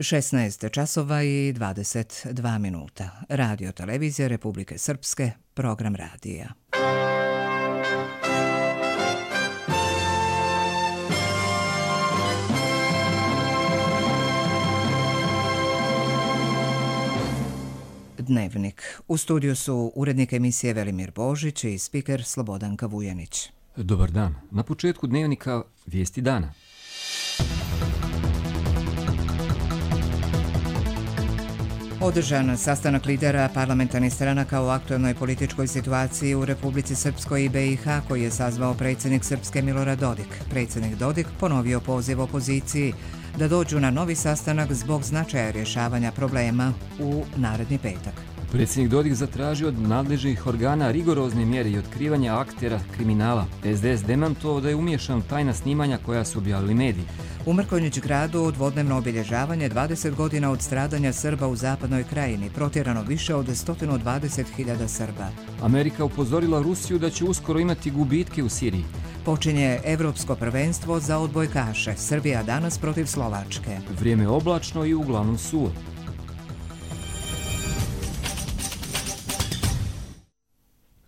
16 časova i 22 minuta. Radio televizija Republike Srpske, program radija. Dnevnik. U studiju su urednik emisije Velimir Božić i spiker Slobodanka Vujanić. Dobar dan. Na početku dnevnika vijesti dana. Održan sastanak lidera parlamentarnih stranaka o aktuelnoj političkoj situaciji u Republici Srpskoj i BiH koji je sazvao predsjednik Srpske Milorad Dodik. Predsjednik Dodik ponovio poziv opoziciji da dođu na novi sastanak zbog značaja rješavanja problema u naredni petak. Predsjednik Dodik zatražio od nadležnih organa rigorozne mjere i otkrivanja aktera kriminala. SDS demantovao da je umiješan tajna snimanja koja su objavili mediji. U Mrkonjić gradu dvodnevno obilježavanje 20 godina od stradanja Srba u zapadnoj krajini, protjerano više od 120.000 Srba. Amerika upozorila Rusiju da će uskoro imati gubitke u Siriji. Počinje Evropsko prvenstvo za odbojkaše. Srbija danas protiv Slovačke. Vrijeme oblačno i uglavnom suvo.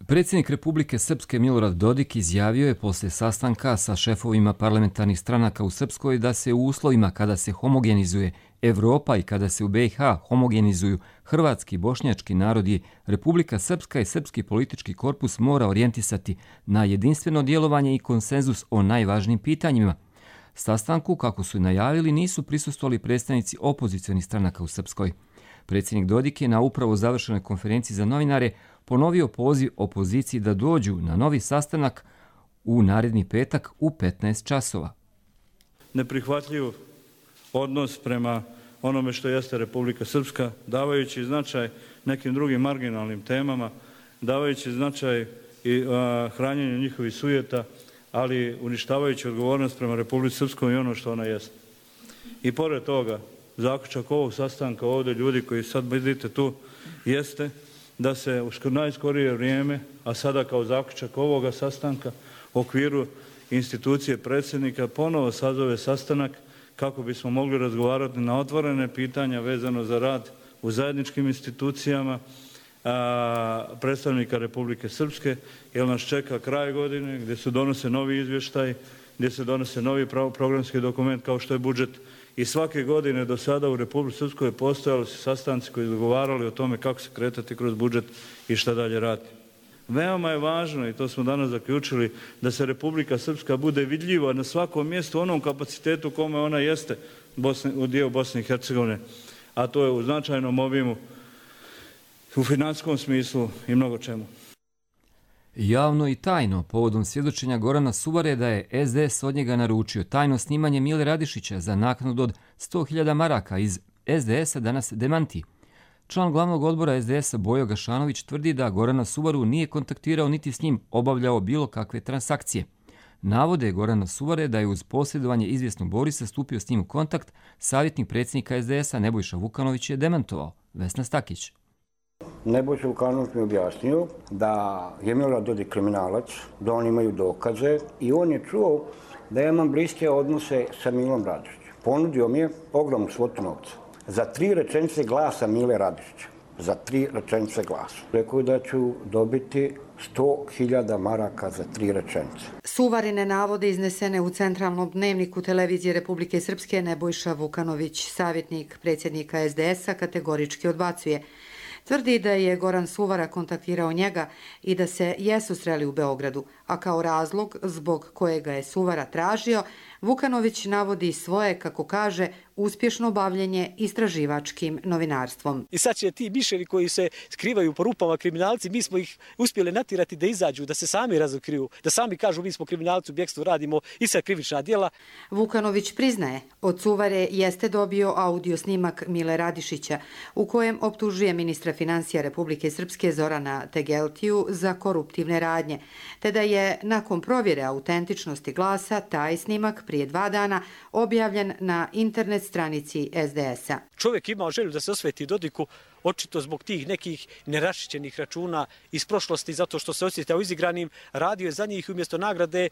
Predsjednik Republike Srpske Milorad Dodik izjavio je poslije sastanka sa šefovima parlamentarnih stranaka u Srpskoj da se u uslovima kada se homogenizuje Evropa i kada se u BiH homogenizuju hrvatski i bošnjački narodi, Republika Srpska i srpski politički korpus mora orijentisati na jedinstveno djelovanje i konsenzus o najvažnijim pitanjima. Sastanku, kako su najavili, nisu prisustvovali predstavnici opozicionih stranaka u Srpskoj. Predsjednik Dodik je na upravo završenoj konferenciji za novinare ponovio poziv opoziciji da dođu na novi sastanak u naredni petak u 15 časova. Neprihvatljiv odnos prema onome što jeste Republika Srpska, davajući značaj nekim drugim marginalnim temama, davajući značaj i hranjenju njihovih sujeta, ali uništavajući odgovornost prema Republici Srpskoj i ono što ona jeste. I pored toga, zaključak ovog sastanka ovdje, ljudi koji sad vidite tu, jeste da se u najskorije vrijeme, a sada kao zaključak ovoga sastanka u okviru institucije predsjednika ponovo sazove sastanak kako bismo mogli razgovarati na otvorene pitanja vezano za rad u zajedničkim institucijama predstavnika Republike Srpske, jer nas čeka kraj godine gdje se donose novi izvještaj, gdje se donose novi programski dokument kao što je budžet. I svake godine do sada u Republici Srpskoj postojali su sastanci koji dogovarali o tome kako se kretati kroz budžet i šta dalje raditi. Veoma je važno, i to smo danas zaključili, da se Republika Srpska bude vidljiva na svakom mjestu, onom kapacitetu kome ona jeste u dijelu Bosne i Hercegovine, a to je u značajnom obimu, u financijskom smislu i mnogo čemu. Javno i tajno, povodom svjedočenja Gorana Suvare da je SDS od njega naručio tajno snimanje Mile Radišića za naknadu od 100.000 maraka iz SDS-a danas demanti. Član glavnog odbora SDS-a Bojo Gašanović tvrdi da Gorana Suvaru nije kontaktirao niti s njim obavljao bilo kakve transakcije. Navode Gorana Suvare da je uz posjedovanje izvjesnog Borisa stupio s njim u kontakt, savjetnik predsjednika SDS-a Nebojša Vukanović je demantovao. Vesna Stakić. Nebojša Vukanović mi objasnio da je Milorad Dodik kriminalac, da oni imaju dokaze i on je čuo da ja imam bliske odnose sa Milom Radišićem. Ponudio mi je ogromnu svotu novca za 3 rečenice glasa Mile Radišića. Za 3 rečenice glasa. Rekao je da ću dobiti 100.000 maraka za 3 rečenice. Suvarine navode iznesene u centralnom dnevniku televizije Republike Srpske Nebojša Vukanović, savjetnik predsjednika SDS-a, kategorički odbacuje. Tvrdi da je Goran Suvara kontaktirao njega i da se jesu sreli u Beogradu, a kao razlog zbog kojega je Suvara tražio, Vukanović navodi svoje, kako kaže, uspješno bavljenje istraživačkim novinarstvom. I sad će ti miševi koji se skrivaju po rupama kriminalci, mi smo ih uspjeli natirati da izađu, da se sami razotkriju, da sami kažu mi smo kriminalci, u bjekstvu radimo i sad krivična djela. Vukanović priznaje, od Suvare jeste dobio audio snimak Mile Radišića, u kojem optužuje ministra financija Republike Srpske Zorana Tegeltiju za koruptivne radnje, te da je nakon provjere autentičnosti glasa taj snimak prije 2 dana objavljen na internet stranici SDS-a. Čovjek imao želju da se osveti Dodiku, očito zbog tih nekih neraščićenih računa iz prošlosti, zato što se osjećao izigranim, radio je za njih i umjesto nagrade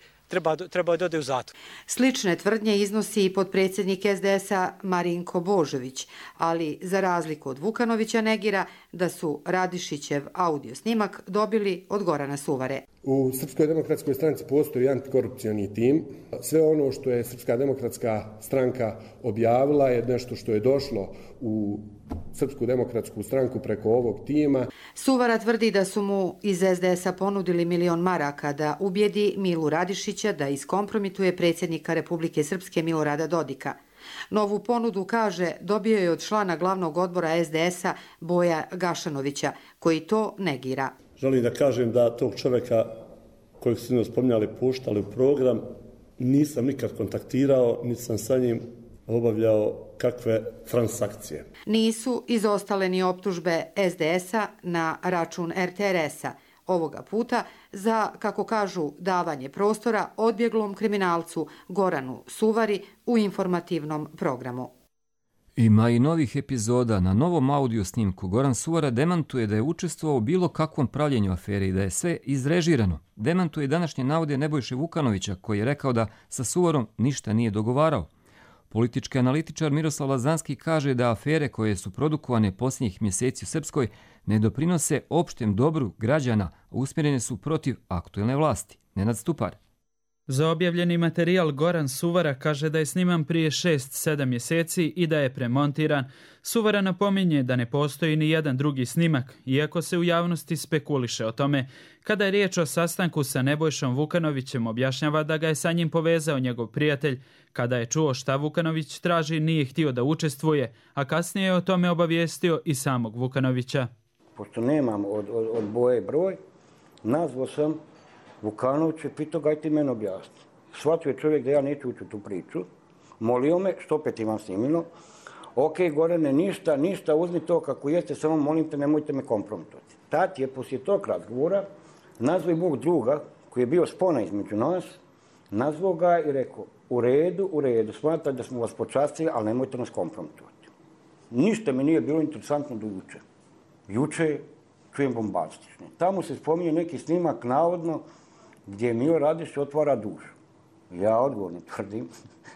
treba da ode u zatvor. Slične tvrdnje iznosi i potpredsjednik SDS-a Marinko Božović, ali za razliku od Vukanovića negira da su Radišićev audio snimak dobili od Gorana Suvare. U Srpskoj demokratskoj stranci postoji antikorupcioni tim. Sve ono što je Srpska demokratska stranka objavila je nešto što je došlo u Srpsku demokratsku stranku preko ovog tima. Suvara tvrdi da su mu iz SDS-a ponudili 1.000.000 maraka da ubijedi Milu Radišića da iskompromituje predsjednika Republike Srpske Milorada Dodika. Novu ponudu, kaže, dobio je od člana glavnog odbora SDS-a Boja Gašanovića, koji to negira. Želim da kažem da tog čovjeka kojeg su spominjali puštali u program nisam nikad kontaktirao, niti sam sa njim obavljao kakve transakcije. Nisu izostale ni optužbe SDS-a na račun RTRS-a, ovoga puta za, kako kažu, davanje prostora odbjeglom kriminalcu Goranu Suvari u informativnom programu. Ima i novih epizoda. Na novom audio snimku Goran Suvara demantuje da je učestvovao u bilo kakvom pravljenju afere i da je sve izrežirano. Demantuje današnje navode Nebojše Vukanovića, koji je rekao da sa Suvarom ništa nije dogovarao. Politički analitičar Miroslav Lazanski kaže da afere koje su produkovane posljednjih mjeseci u Srpskoj ne doprinose opštem dobru građana, a usmjerene su protiv aktuelne vlasti. Nenad Stupar. Za objavljeni materijal Goran Suvara kaže da je sniman prije 6-7 mjeseci i da je premontiran. Suvara napominje da ne postoji ni jedan drugi snimak, iako se u javnosti spekuliše o tome. Kada je riječ o sastanku sa Nebojšom Vukanovićem, objašnjava da ga je sa njim povezao njegov prijatelj. Kada je čuo šta Vukanović traži, nije htio da učestvuje, a kasnije je o tome obavijestio i samog Vukanovića. Pošto nemam od Boje broj, nazvao sam Vukanović je pitao, gaj ti meni objasni. Shvatio je čovjek da ja neću ući u tu priču. Molio me, što opet imam snimilo. Ok, Gorane, ništa, uzmi to kako jeste, samo molim te, nemojte me kompromitovati. Tad je poslije tog razgovora nazvao i mog druga, koji je bio spona između nas, nazvao ga i rekao, u redu, smatram da smo vas počastili, ali nemojte nas kompromitovati. Ništa mi nije bilo interesantno do juče. Juče čujem bombastične. Tamo se spominje neki snimak, navodno, gdje Milo Radišić otvara dušu. Ja odgovorno tvrdim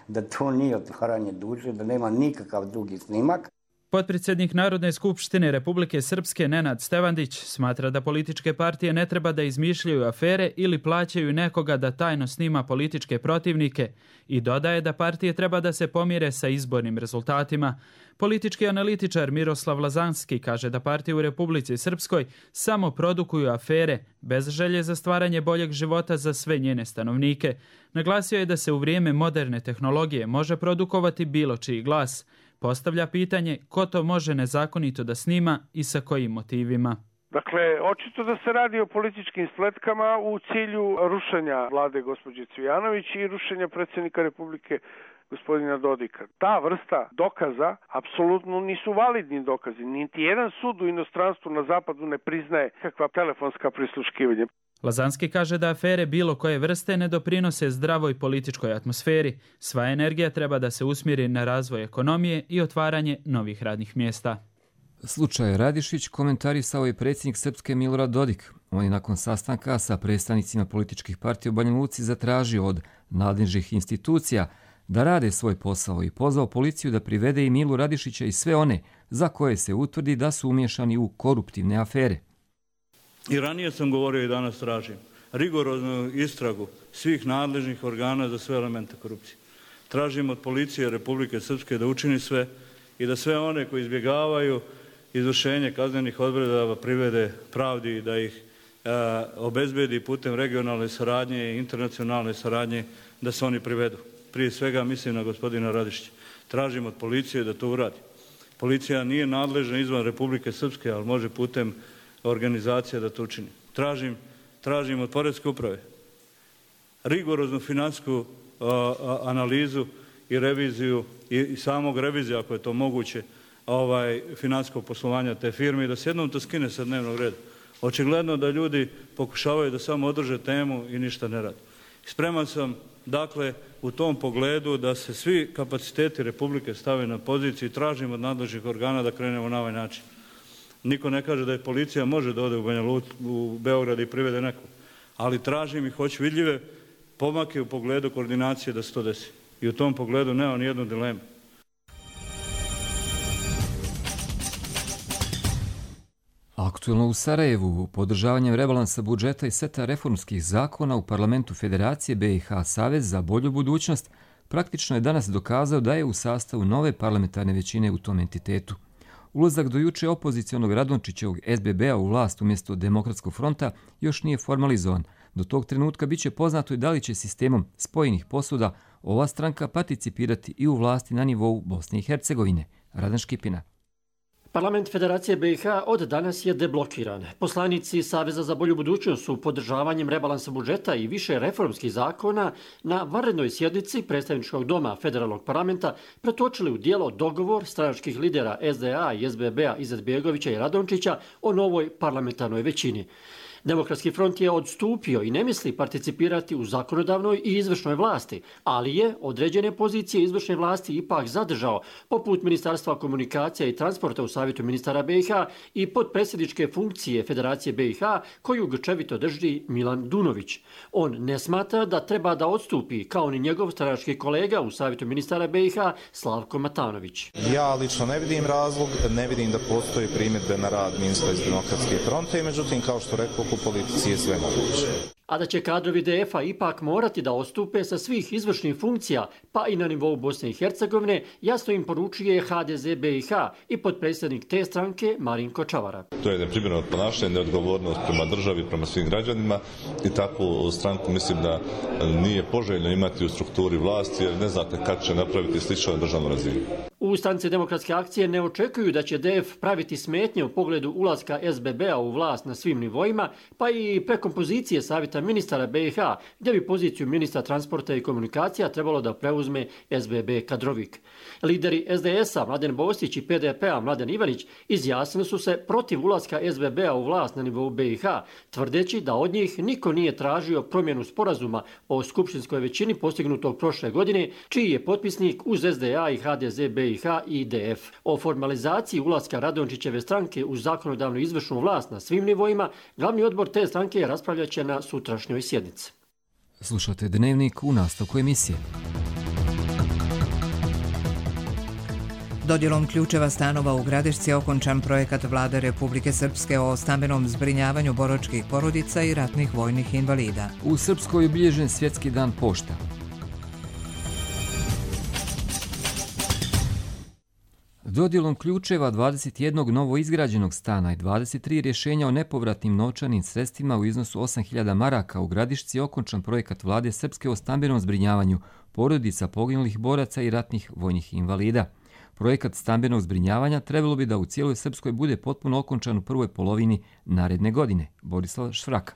da to nije otvaranje duše, da nema nikakav drugi snimak. Potpredsjednik Narodne skupštine Republike Srpske Nenad Stevandić smatra da političke partije ne treba da izmišljaju afere ili plaćaju nekoga da tajno snima političke protivnike i dodaje da partije treba da se pomire sa izbornim rezultatima. Politički analitičar Miroslav Lazanski kaže da partije u Republici Srpskoj samo produkuju afere bez želje za stvaranje boljeg života za sve njene stanovnike. Naglasio je da se u vrijeme moderne tehnologije može produkovati bilo čiji glas. Postavlja pitanje ko to može nezakonito da snima i sa kojim motivima. Dakle, očito da se radi o političkim spletkama u cilju rušenja vlade gospođe Cvijanović i rušenja predsjednika Republike gospodina Dodika. Ta vrsta dokaza apsolutno nisu validni dokazi. Niti jedan sud u inostranstvu na zapadu ne priznaje kakva telefonska prisluškivanja. Lazanski kaže da afere bilo koje vrste ne doprinose zdravoj političkoj atmosferi. Sva energija treba da se usmjeri na razvoj ekonomije i otvaranje novih radnih mjesta. Slučaj Radišić komentarisao je predsjednik Srpske Milorad Dodik. On je nakon sastanka sa predstavnicima političkih partija u Banja Luci zatražio od nadležnih institucija da rade svoj posao i pozvao policiju da privede i Milu Radišića i sve one za koje se utvrdi da su umiješani u koruptivne afere. I ranije sam govorio i danas tražim rigoroznu istragu svih nadležnih organa za sve elemente korupcije. Tražim od policije Republike Srpske da učini sve i da sve one koji izbjegavaju izvršenje kaznenih odredaba privede pravdi i da ih obezbedi putem regionalne saradnje i internacionalne saradnje da se oni privedu. Prije svega mislim na gospodina Radišića. Tražim od policije da to uradi. Policija nije nadležna izvan Republike Srpske, ali može putem organizacija da to učini. Tražim od Poreske uprave rigoroznu financijsku analizu i reviziju i samog revizija, ako je to moguće, financijskog poslovanja te firme i da se jednom to skine sa dnevnog reda. Očigledno da ljudi pokušavaju da samo održe temu i ništa ne rade. Spreman sam, dakle, u tom pogledu da se svi kapaciteti Republike stave na poziciju i tražimo od nadležnih organa da krenemo na ovaj način. Niko ne kaže da je policija može da ode u Beograd i privede nekog. Ali tražim i hoću vidljive pomake u pogledu koordinacije da se to desi. I u tom pogledu nema nijednu dilemu. Aktuelno u Sarajevu, podržavanjem rebalansa budžeta i seta reformskih zakona u parlamentu Federacije BiH Savez za bolju budućnost praktično je danas dokazao da je u sastavu nove parlamentarne većine u tom entitetu. Ulazak do juče opozicionog Radončićevog SBB-a u vlast umjesto Demokratskog fronta još nije formalizovan. Do tog trenutka bit će poznato i da li će sistemom spojenih posuda ova stranka participirati i u vlasti na nivou Bosne i Hercegovine. Radan Škipina. Parlament Federacije BiH od danas je deblokiran. Poslanici Saveza za bolju budućnost su podržavanjem rebalansa budžeta i više reformskih zakona na vanrednoj sjednici predstavničkog doma Federalnog parlamenta pretočili u djelo dogovor stranačkih lidera SDA i SBB-a Izetbegovića i Radončića o novoj parlamentarnoj većini. Demokratski front je odstupio i ne misli participirati u zakonodavnoj i izvršnoj vlasti, ali je određene pozicije izvršne vlasti ipak zadržao, poput Ministarstva komunikacija i transporta u Savjetu ministara BiH i podpredsjedničke funkcije Federacije BiH, koju grčevito drži Milan Dunović. On ne smatra da treba da odstupi, kao ni njegov stranački kolega u Savjetu ministara BiH Slavko Matanović. Ja lično ne vidim razlog, ne vidim da postoji primjedbe na rad ministra iz Demokratske fronte, međutim, kao što rekao, u politici je sve moguće. A da će kadrovi DF-a ipak morati da odstupe sa svih izvršnih funkcija, pa i na nivou Bosne i Hercegovine, jasno im poručuje HDZ BiH i podpredsjednik te stranke Marinko Čavara. To je neprimjereno ponašanje, neodgovornost prema državi, prema svim građanima i takvu stranku mislim da nije poželjno imati u strukturi vlasti jer ne znate kad će napraviti slično na državnu razinu. U stranci Demokratske akcije ne očekuju da će DF praviti smetnje u pogledu ulaska SBB-a u vlast na svim nivoima, pa i prekompozicije Savjeta ministara BiH, gdje bi poziciju ministra transporta i komunikacija trebalo da preuzme SBB kadrovik. Lideri SDS-a Mladen Bostić i PDP-a Mladen Ivanić izjasnili su se protiv ulaska SBB-a u vlast na nivou BiH, tvrdeći da od njih niko nije tražio promjenu sporazuma o skupštinskoj većini postignutog prošle godine, čiji je potpisnik uz SDA i HDZ BiH i IDF. O formalizaciji ulaska Radončićeve stranke u zakonodavnu izvršnu vlast na svim nivoima, glavni odbor te stranke raspravljat će na sutrašnjoj sjednici. Slušate Dnevnik u nastavku emisije. Dodjelom ključeva stanova u Gradišci je okončan projekat Vlade Republike Srpske o stambenom zbrinjavanju boračkih porodica i ratnih vojnih invalida. U Srpskoj je obilježen Svjetski dan pošta. Dodjelom ključeva 21 novo izgrađenog stana i 23 rješenja o nepovratnim novčanim sredstvima u iznosu 8.000 maraka u Gradišci je okončan projekat Vlade Srpske o stambenom zbrinjavanju porodica poginulih boraca i ratnih vojnih invalida. Projekat stambenog zbrinjavanja trebalo bi da u cijeloj Srpskoj bude potpuno okončan u prvoj polovini naredne godine. Borislav Švraka.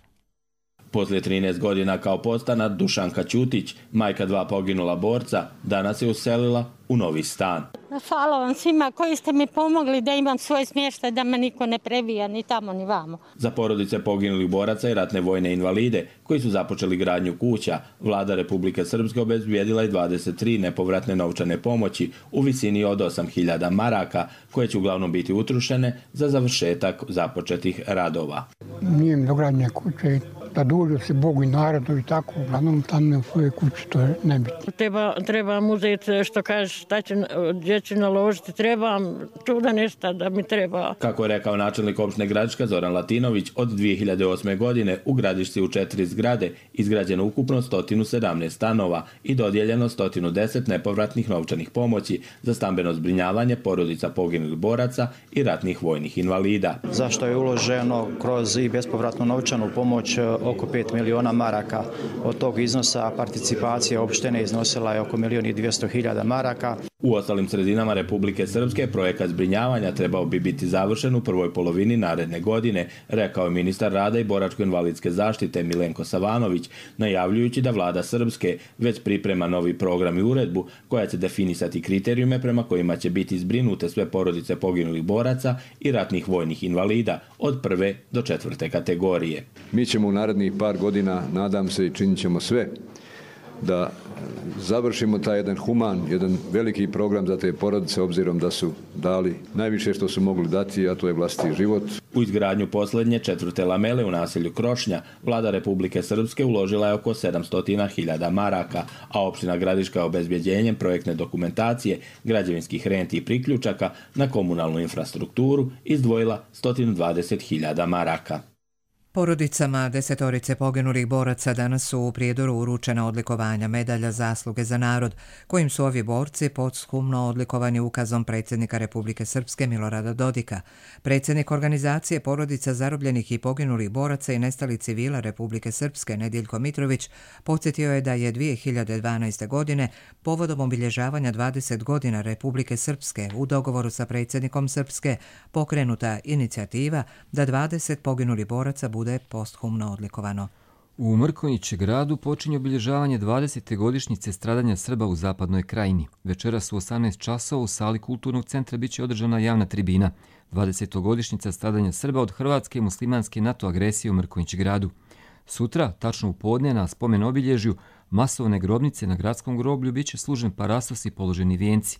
Poslije 13 godina kao podstanar, Dušanka Ćutić, majka 2 poginula borca, danas je uselila u novi stan. Hvala vam svima koji ste mi pomogli da imam svoj smještaj, da me niko ne prebija ni tamo ni vamo. Za porodice poginulih boraca i ratne vojne invalide koji su započeli gradnju kuća, Vlada Republike Srpske obezbijedila je 23 nepovratne novčane pomoći u visini od 8.000 maraka, koje će uglavnom biti utrošene za završetak započetih radova. Nije mi dogradnje kuće, da dođu se Bogu i narodu i tako, uglavnom tamo u svojoj kući, to je nebitno. Trebam uzeti, što kažeš, gdje ću naložiti, trebam čuda nešto da mi treba. Kako je rekao načelnik opštine Gradiška Zoran Latinović, od 2008. godine u Gradišci u 4 zgrade izgrađeno ukupno 117 stanova i dodijeljeno 110 nepovratnih novčanih pomoći za stambeno zbrinjavanje porodica poginulih boraca i ratnih vojnih invalida. Zašto je uloženo kroz i bespovratnu novčanu pomoć oko 5 miliona maraka. Od tog iznosa participacija opštine iznosila je oko 1.200.000 maraka. U ostalim sredinama Republike Srpske projekat zbrinjavanja trebao bi biti završen u prvoj polovini naredne godine, rekao je ministar rada i boračko-invalidske zaštite Milenko Savanović, najavljujući da vlada Srpske već priprema novi program i uredbu koja će definisati kriterijume prema kojima će biti zbrinute sve porodice poginulih boraca i ratnih vojnih invalida od 1. do 4. kategorije. Mi ćemo u narednih par godina, nadam se, i činit ćemo sve da završimo taj jedan human, jedan veliki program za te porodice, obzirom da su dali najviše što su mogli dati, a to je vlastiti život. U izgradnju posljednje 4. lamele u naselju Krošnja vlada Republike Srpske uložila je oko 700.000 maraka, a opština Gradiška je obezbjeđenjem projektne dokumentacije, građevinskih renti i priključaka na komunalnu infrastrukturu izdvojila 120.000 maraka. Porodicama 10 poginulih boraca danas su u Prijedoru uručena odlikovanja medalja zasluge za narod, kojim su ovi borci posthumno odlikovani ukazom predsjednika Republike Srpske Milorada Dodika. Predsjednik organizacije porodica zarobljenih i poginulih boraca i nestalih civila Republike Srpske Nediljko Mitrović podsjetio je da je 2012. godine povodom obilježavanja 20 godina Republike Srpske u dogovoru sa predsjednikom Srpske pokrenuta inicijativa da 20 poginulih boraca bude posthumno odlikovano. U Mrkonjić gradu počinje obilježavanje 20. godišnjice stradanja Srba u zapadnoj krajini. Večeras u 18 časova u sali Kulturnog centra biće održana javna tribina. 20. godišnjica stradanja Srba od hrvatske i muslimanske NATO agresije u Mrkonjić gradu. Sutra, tačno u podne, na spomen obilježju masovne grobnice na gradskom groblju biće služen parasos i položeni vijenci.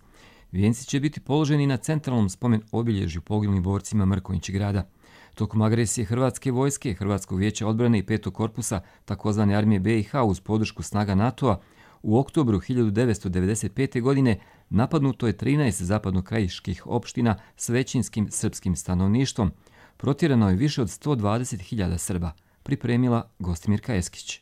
Vijenci će biti položeni na centralnom spomen obilježju poginulim borcima Mrkonjić grada. Tokom agresije Hrvatske vojske, Hrvatskog vijeća odbrane i 5. korpusa tzv. armije BiH uz podršku snaga NATO-a, u oktobru 1995. godine napadnuto je 13 zapadnokrajiških opština s većinskim srpskim stanovništvom. Protjerano je više od 120.000 Srba, pripremila Gostimirka Eskić.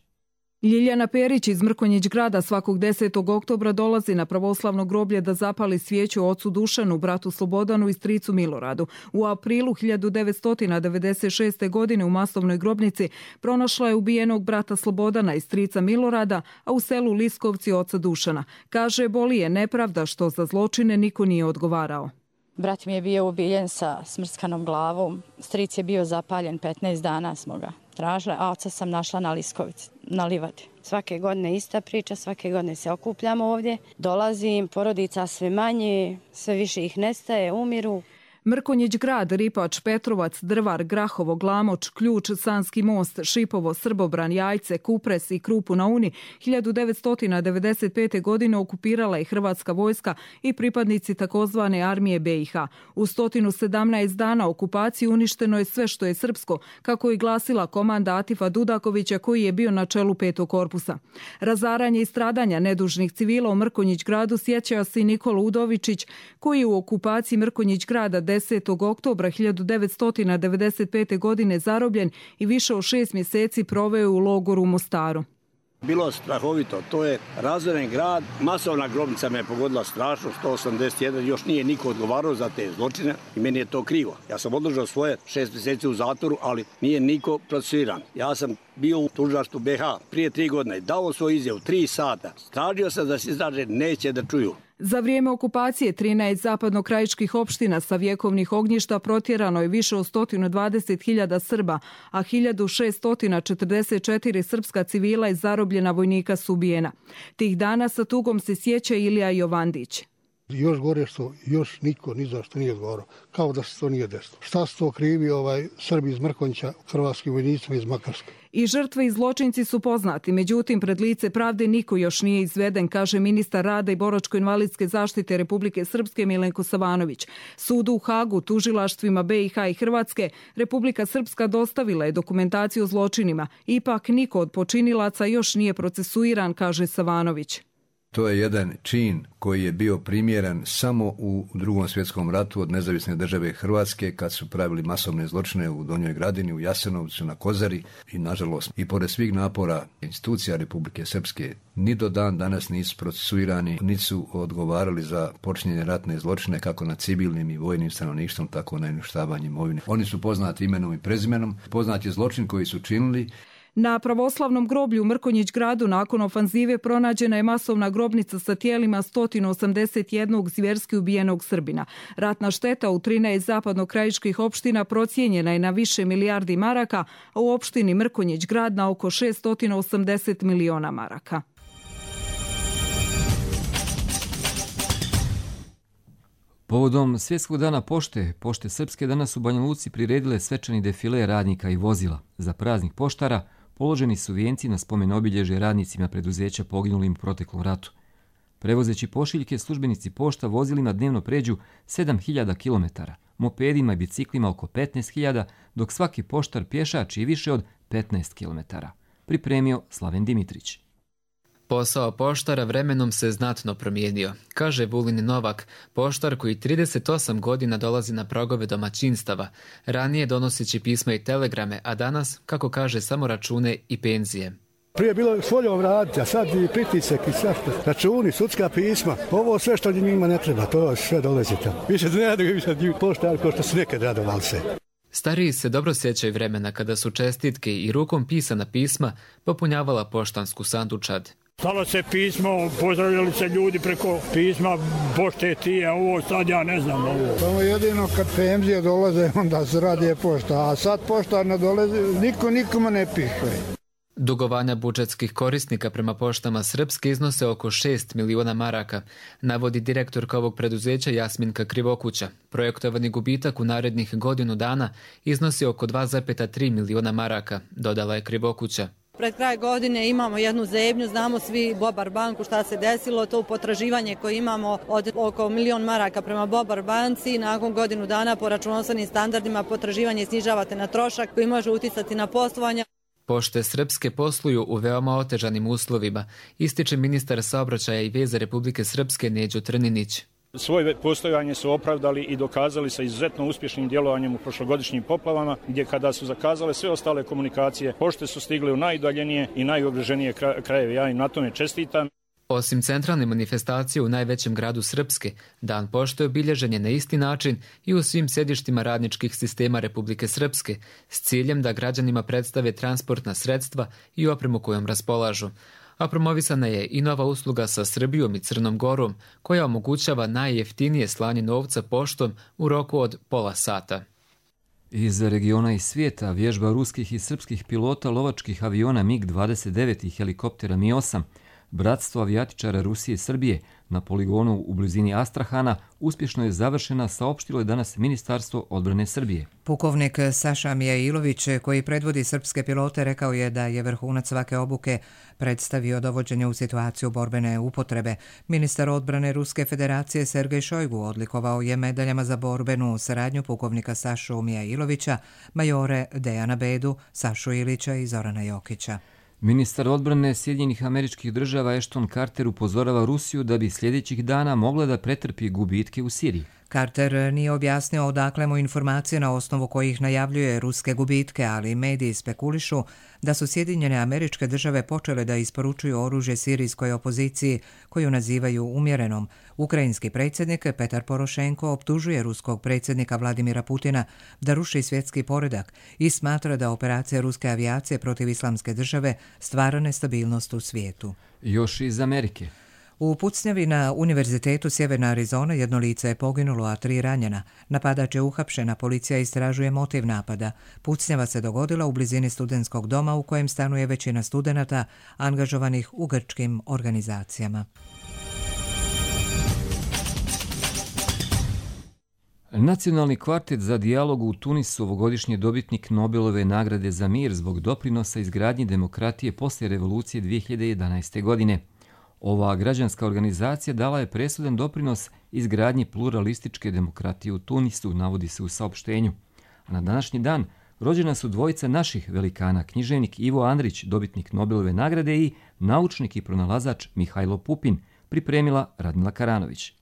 Ljiljana Perić iz Mrkonjić grada svakog 10. oktobra dolazi na pravoslavno groblje da zapali svijeću ocu Dušanu, bratu Slobodanu i stricu Miloradu. U aprilu 1996. godine u masovnoj grobnici pronašla je ubijenog brata Slobodana i strica Milorada, a u selu Liskovci oca Dušana. Kaže, boli je nepravda što za zločine niko nije odgovarao. Brat mi je bio ubijen sa smrskanom glavom, stric je bio zapaljen, 15 dana smo ga tražili, a oca sam našla na Liskovici, na livadi. Svake godine ista priča, svake godine se okupljamo ovdje, dolazim, porodica sve manje, sve više ih nestaje, umiru. Mrkonjić grad, Ripač, Petrovac, Drvar, Grahovo, Glamoč, Ključ, Sanski most, Šipovo, Srbobran, Jajce, Kupres i Krupu na Uni 1995. godine okupirala je Hrvatska vojska i pripadnici takozvane armije BiH. U 117 dana okupacije uništeno je sve što je srpsko, kako je glasila komanda Atifa Dudakovića koji je bio na čelu 5. korpusa. Razaranje i stradanja nedužnih civila u Mrkonjić gradu sjeća se i Nikola Udovičić koji je u okupaciji Mrkonjić grada 10. oktobra 1995. godine zarobljen i više od 6 mjeseci proveo u logoru u Mostaru. Bilo strahovito, to je razoren grad, masovna grobnica me je pogodila strašno, 181, još nije niko odgovarao za te zločine i meni je to krivo. Ja sam održao svoje 6 mjeseci u zatvoru, ali nije niko procesuiran. Ja sam bio u tužilaštvu BiH prije 3 godine i dao svoj izjavu 3 sata. Tražio sam da se istraže, neće da čuju. Za vrijeme okupacije 13 zapadnokrajiških opština sa vjekovnih ognjišta protjerano je više od 120.000 Srba, a 1644 srpska civila i zarobljena vojnika su ubijena. Tih dana sa tugom se sjeća Ilija Jovandić. Još gore što još niko ni za što nije odgovarao, kao da se to nije desilo. Šta su to krivi Srbi iz Mrkonjića, hrvatski vojnicima iz Makarske? I žrtve i zločinci su poznati, međutim pred lice pravde niko još nije izveden, kaže ministar rada i boračko-invalidske zaštite Republike Srpske Milenko Savanović. Sudu u Hagu, tužilaštvima BiH i Hrvatske, Republika Srpska dostavila je dokumentaciju o zločinima. Ipak niko od počinilaca još nije procesuiran, kaže Savanović. To je jedan čin koji je bio primjeren samo u Drugom svjetskom ratu od nezavisne države Hrvatske kad su pravili masovne zločine u Donjoj Gradini, u Jasenovcu, na Kozari i nažalost i pored svih napora institucija Republike Srpske ni do dan danas nisu procesuirani, niti su odgovarali za počinjenje ratne zločine kako nad civilnim i vojnim stanovništvom, tako na uništavanje imovine. Oni su poznati imenom i prezimenom, poznat je zločin koji su činili. Na pravoslavnom groblju u Mrkonjić gradu nakon ofanzive pronađena je masovna grobnica sa tijelima 181 zvjerski ubijenog Srbina. Ratna šteta u 13 zapadnokrajiških opština procijenjena je na više milijardi maraka, a u opštini Mrkonjić grad na oko 680 miliona maraka. Povodom Svjetskog dana pošte, Pošte Srpske danas u Banja Luci priredile svečani defile radnika i vozila. Za praznik poštara položeni su vijenci na spomen obilježje radnicima preduzeća poginulim u proteklom ratu. Prevozeći pošiljke, službenici pošta vozilima dnevno pređu 7.000 km, mopedima i biciklima oko 15.000, dok svaki poštar pješači više od 15 km. Pripremio Slaven Dimitrić. Posao poštara vremenom se znatno promijenio, kaže Vulin Novak, poštar koji 38 godina dolazi na pragove domaćinstava, ranije donoseći pisma i telegrame, a danas, kako kaže, samo račune i penzije. Prije je bilo s voljom raditi, a sad i pritisak i svašta. Računi, sudska pisma, ovo sve što njima ne treba, to sve dolazi tamo. Više ne radi, više poštar ko što su nekad radovali se. Stariji se dobro sjećaju vremena kada su čestitke i rukom pisana pisma popunjavala poštansku sandučad. Stalo se pismo, pozdravljali se ljudi preko pisma, pošte ti, a ovo sad ja ne znam ovo. Samo jedino kad penzije dolaze, onda se radi pošta, a sad poštar ne dolazi, niko nikome ne piše. Dugovanja budžetskih korisnika prema poštama Srpske iznose oko 6 miliona maraka, navodi direktorka ovog preduzeća Jasminka Krivokuća. Projektovani gubitak u narednih godinu dana iznosi oko 2,3 miliona maraka, dodala je Krivokuća. Pred kraj godine imamo jednu zebnju, znamo svi Bobar banku šta se desilo, to potraživanje koje imamo od oko 1 milion maraka prema Bobar banci, nakon godinu dana po računovodstvenim standardima potraživanje snižavate na trošak koji može uticati na poslovanje. Pošte Srpske posluju u veoma otežanim uslovima, ističe ministar saobraćaja i veza Republike Srpske Neđo Trninić. Svoje postojanje su opravdali i dokazali sa izuzetno uspješnim djelovanjem u prošlogodišnjim poplavama, gdje kada su zakazale sve ostale komunikacije, pošte su stigle u najudaljenije i najugroženije krajeve. Ja im na tome čestitam. Osim centralne manifestacije u najvećem gradu Srpske, Dan pošte obilježen je na isti način i u svim sjedištima radničkih sistema Republike Srpske, s ciljem da građanima predstave transportna sredstva i opremu kojom raspolažu. A promovisana je i nova usluga sa Srbijom i Crnom Gorom, koja omogućava najjeftinije slanje novca poštom u roku od pola sata. Iz regiona i svijeta vježba ruskih i srpskih pilota lovačkih aviona MiG-29 i helikoptera Mi-8, bratstvo avijatičara Rusije i Srbije na poligonu u blizini Astrahana uspješno je završena, saopštilo je danas Ministarstvo odbrane Srbije. Pukovnik Saša Mijailović, koji predvodi srpske pilote, rekao je da je vrhunac svake obuke predstavio dovođenje u situaciju borbene upotrebe. Ministar odbrane Ruske federacije Sergej Šojgu odlikovao je medaljama za borbenu saradnju pukovnika Sašu Mijailovića, majore Dejana Bedu, Sašu Ilića i Zorana Jokića. Ministar odbrane Sjedinjenih Američkih Država Ashton Carter upozorava Rusiju da bi sljedećih dana mogla da pretrpi gubitke u Siriji. Carter nije objasnio odakle mu informacije na osnovu kojih najavljuje ruske gubitke, ali mediji spekulišu da su Sjedinjene Američke Države počele da isporučuju oružje sirijskoj opoziciji, koju nazivaju umjerenom. Ukrajinski predsjednik Petar Porošenko optužuje ruskog predsjednika Vladimira Putina da ruši svjetski poredak i smatra da operacija ruske avijacije protiv Islamske države stvara nestabilnost u svijetu. Još iz Amerike. U pucnjavi na Univerzitetu Sjeverna Arizona jedno lice je poginulo, a 3 ranjena. Napadač je uhapšena, policija istražuje motiv napada. Pucnjava se dogodila u blizini studentskog doma u kojem stanuje većina studenata angažovanih u grčkim organizacijama. Nacionalni kvartet za dijalog u Tunisu ovogodišnji dobitnik Nobelove nagrade za mir zbog doprinosa izgradnji demokratije poslije revolucije 2011. godine. Ova građanska organizacija dala je presudan doprinos izgradnji pluralističke demokratije u Tunisu, navodi se u saopštenju. A na današnji dan rođena su dvojica naših velikana, književnik Ivo Andrić, dobitnik Nobelove nagrade, i naučnik i pronalazač Mihajlo Pupin, pripremila Radmila Karanović.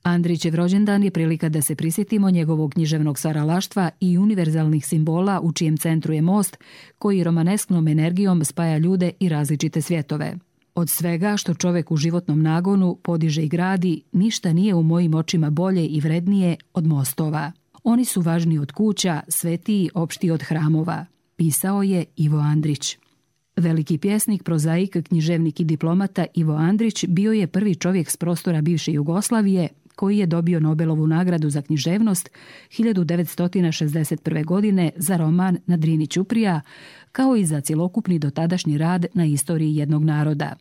Andrićev rođendan je prilika da se prisjetimo njegovog književnog stvaralaštva i univerzalnih simbola u čijem centru je most koji romanesknom energijom spaja ljude i različite svjetove. Od svega što čovjek u životnom nagonu podiže i gradi, ništa nije u mojim očima bolje i vrednije od mostova. Oni su važniji od kuća, svetiji, opšti od hramova, pisao je Ivo Andrić. Veliki pjesnik, prozaik, književnik i diplomata Ivo Andrić bio je prvi čovjek s prostora bivše Jugoslavije koji je dobio Nobelovu nagradu za književnost 1961. godine za roman Na Drini ćuprija, kao i za cjelokupni dotadašnji rad na istoriji jednog naroda.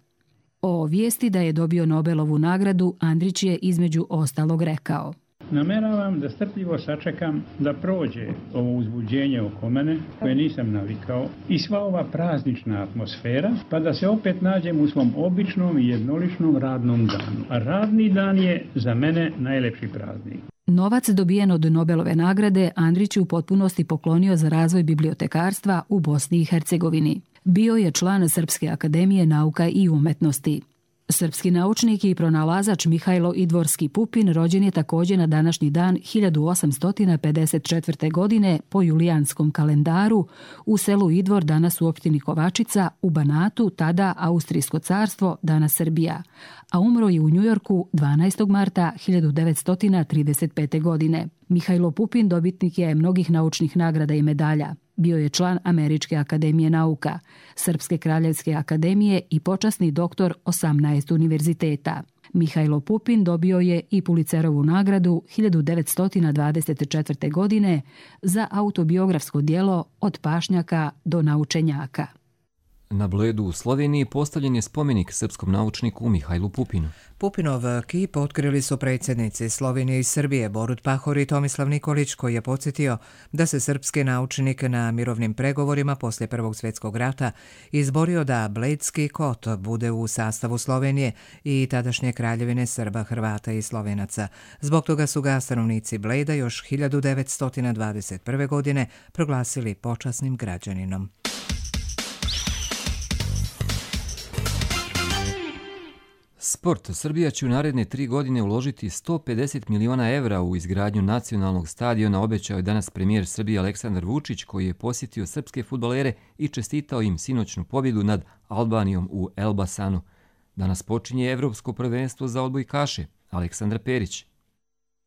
O vijesti da je dobio Nobelovu nagradu Andrić je između ostalog rekao: Nameravam da strpljivo sačekam da prođe ovo uzbuđenje oko mene, koje nisam navikao, i sva ova praznična atmosfera, pa da se opet nađem u svom običnom i jednoličnom radnom danu. A radni dan je za mene najlepši praznik. Novac dobijen od Nobelove nagrade Andrić je u potpunosti poklonio za razvoj bibliotekarstva u Bosni i Hercegovini. Bio je član Srpske akademije nauka i umetnosti. Srpski naučnik i pronalazač Mihajlo Idvorski Pupin rođen je također na današnji dan 1854. godine po julijanskom kalendaru u selu Idvor, danas u opštini Kovačica, u Banatu, tada Austrijsko carstvo, danas Srbija, a umro je u Njujorku 12. marta 1935. godine. Mihajlo Pupin dobitnik je mnogih naučnih nagrada i medalja. Bio je član Američke akademije nauka, Srpske kraljevske akademije i počasni doktor 18 univerziteta. Mihajlo Pupin dobio je i Pulitzerovu nagradu 1924. godine za autobiografsko djelo Od pašnjaka do naučenjaka. Na Bledu u Sloveniji postavljen je spomenik srpskom naučniku Mihajlu Pupinu. Pupinov kip otkrili su predsjednici Slovenije i Srbije Borut Pahor i Tomislav Nikolić, koji je podsjetio da se srpski naučnik na mirovnim pregovorima poslije Prvog svjetskog rata izborio da Bledski kot bude u sastavu Slovenije i tadašnje kraljevine Srba, Hrvata i Slovenaca. Zbog toga su ga stanovnici Bleda još 1921. godine proglasili počasnim građaninom. Sport. Srbija će u naredne 3 godine uložiti 150 miliona evra u izgradnju nacionalnog stadiona, obećao je danas premijer Srbije Aleksandar Vučić, koji je posjetio srpske fudbalere i čestitao im sinoćnu pobjedu nad Albanijom u Elbasanu. Danas počinje Evropsko prvenstvo za odbojkaše. Aleksandra Perić.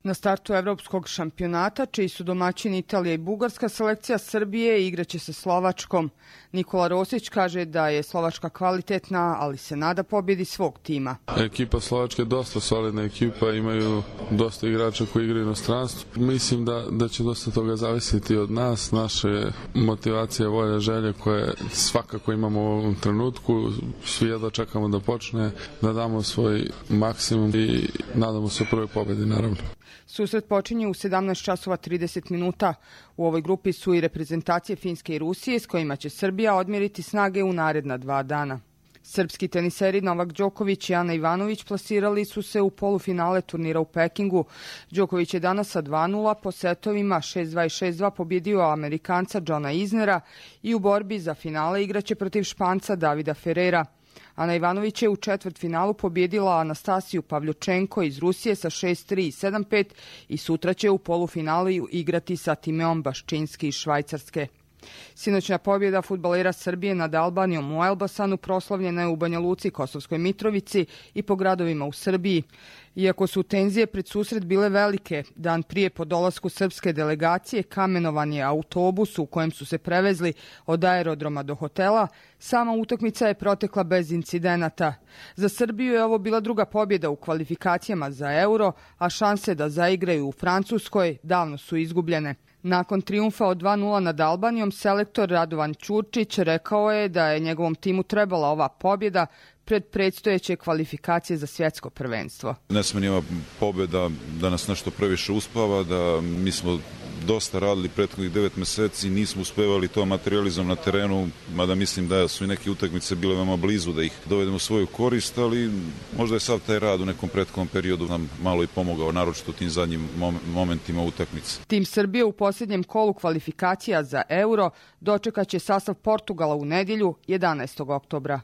Na startu evropskog šampionata, čiji su domaćini Italija i Bugarska, selekcija Srbije igraće sa Slovačkom. Nikola Rosić kaže da je Slovačka kvalitetna, ali se nada pobjedi svog tima. Ekipa Slovačke je dosta solidna ekipa, imaju dosta igrača koji igraju u inostranstvu. Mislim da će dosta toga zavisiti od nas, naše motivacije, volje, želje koje svakako imamo u ovom trenutku. Svi jedva čekamo da počne, da damo svoj maksimum i nadamo se prvoj pobjedi, naravno. Susret počinje u 17 časova 30 minuta. U ovoj grupi su i reprezentacije Finske i Rusije, s kojima će Srbija odmjeriti snage u naredna 2 dana. Srpski teniseri Novak Đoković i Ana Ivanović plasirali su se u polufinale turnira u Pekingu. Đoković je danas sa 2:0 po setovima 6-2 i 6-2 pobjedio Amerikanca Johna Isnera i u borbi za finale igraće protiv Španca Davida Ferrera. Ana Ivanović je u četvrtfinalu pobjedila Anastasiju Pavljučenko iz Rusije sa 6-3 i 7-5 i sutra će u polufinalu igrati sa Timeom Baščinski iz Švajcarske. Sinoćna pobjeda fudbalera Srbije nad Albanijom u Elbasanu proslavljena je u Banja Luci, Kosovskoj Mitrovici i po gradovima u Srbiji. Iako su tenzije pred susret bile velike, dan prije po dolasku srpske delegacije kamenovan je autobus u kojem su se prevezli od aerodroma do hotela, sama utakmica je protekla bez incidenata. Za Srbiju je ovo bila druga pobjeda u kvalifikacijama za Euro, a šanse da zaigraju u Francuskoj davno su izgubljene. Nakon trijumfa od 2:0 nad Albanijom, selektor Radovan Ćurčić rekao je da je njegovom timu trebala ova pobjeda pred predstojeće kvalifikacije za svjetsko prvenstvo. Ne sme ni ova pobjeda da nas nešto previše uspava, da mi smo dosta radili prethodnih 9 mjeseci, nismo uspevali to materializom na terenu, mada mislim da su i neke utakmice bile veoma blizu da ih dovedemo u svoju korist, ali možda je sad taj rad u nekom prethodnom periodu nam malo i pomogao, naročito u tim zadnjim momentima utakmice. Tim Srbije u posljednjem kolu kvalifikacija za Euro dočekat će sastav Portugala u nedjelju 11. oktobra.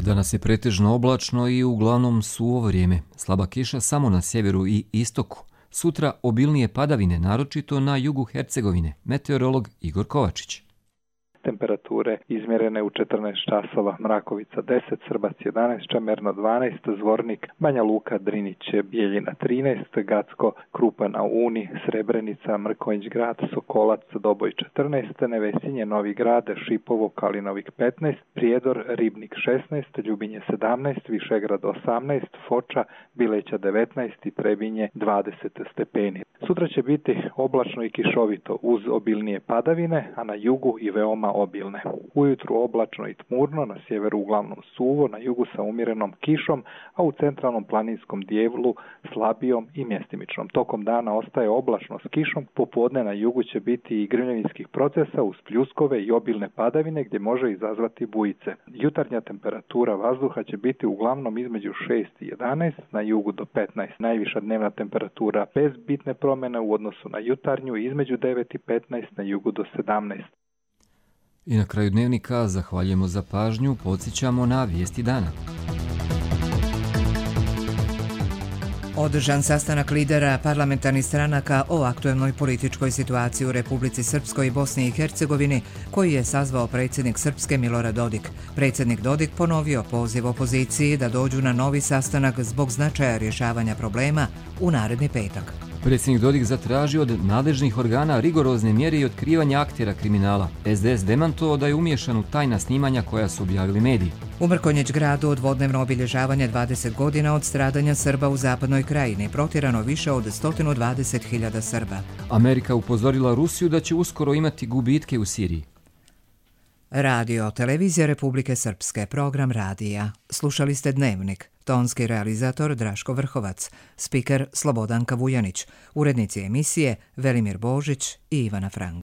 Danas je pretežno oblačno i uglavnom suvo vrijeme. Slaba kiša samo na sjeveru i istoku. Sutra obilnije padavine, naročito na jugu Hercegovine. Meteorolog Igor Kovačić. Temperature izmjerene u 14 časova, Mrakovica 10, Srbac 11, Čamerno 12, Zvornik, Banja Luka, Drinić, Bijeljina 13, Gacko, Krupa na Uni, Srebrenica, Mrkonjić grad, Sokolac, Doboj 14, Nevesinje, Novi grad, Šipovo, Kalinovik 15, Prijedor, Ribnik 16, Ljubinje 17, Višegrad 18, Foča, Bileća 19 i Trebinje 20 stepeni. Sutra će biti oblačno i kišovito uz obilnije padavine, a na jugu i veoma obilne. Ujutru oblačno i tmurno, na sjeveru uglavnom suvo, na jugu sa umjerenom kišom, a u centralnom planinskom dijelu slabijom i mjestimičnom. Tokom dana ostaje oblačno s kišom, popodne na jugu će biti i grmljevinskih procesa uz pljuskove i obilne padavine gdje može izazvati bujice. Jutarnja temperatura vazduha će biti uglavnom između 6 i 11, na jugu do 15. Najviša dnevna temperatura bez bitne promjene u odnosu na jutarnju između 9 i 15, na jugu do 17. I na kraju dnevnika zahvaljujemo za pažnju, podsjećamo na vijesti dana. Održan sastanak lidera parlamentarnih stranaka o aktuelnoj političkoj situaciji u Republici Srpskoj i Bosni i Hercegovini, koji je sazvao predsjednik Srpske Milorad Dodik. Predsjednik Dodik ponovio poziv opoziciji da dođu na novi sastanak zbog značaja rješavanja problema u naredni petak. Predsjednik Dodik zatražio od nadležnih organa rigorozne mjere i otkrivanja aktera kriminala. SDS demantovao da je umiješan u tajna snimanja koja su objavili mediji. U Mrkonjić gradu dvodnevno obilježavanje 20 godina od stradanja Srba u zapadnoj krajini, protjerano više od 120.000 Srba. Amerika upozorila Rusiju da će uskoro imati gubitke u Siriji. Radio Televizija Republike Srpske, program radija. Slušali ste Dnevnik. Tonski realizator Draško Vrhovac, spiker Slobodanka Vujanić, urednici emisije Velimir Božić i Ivana Frank.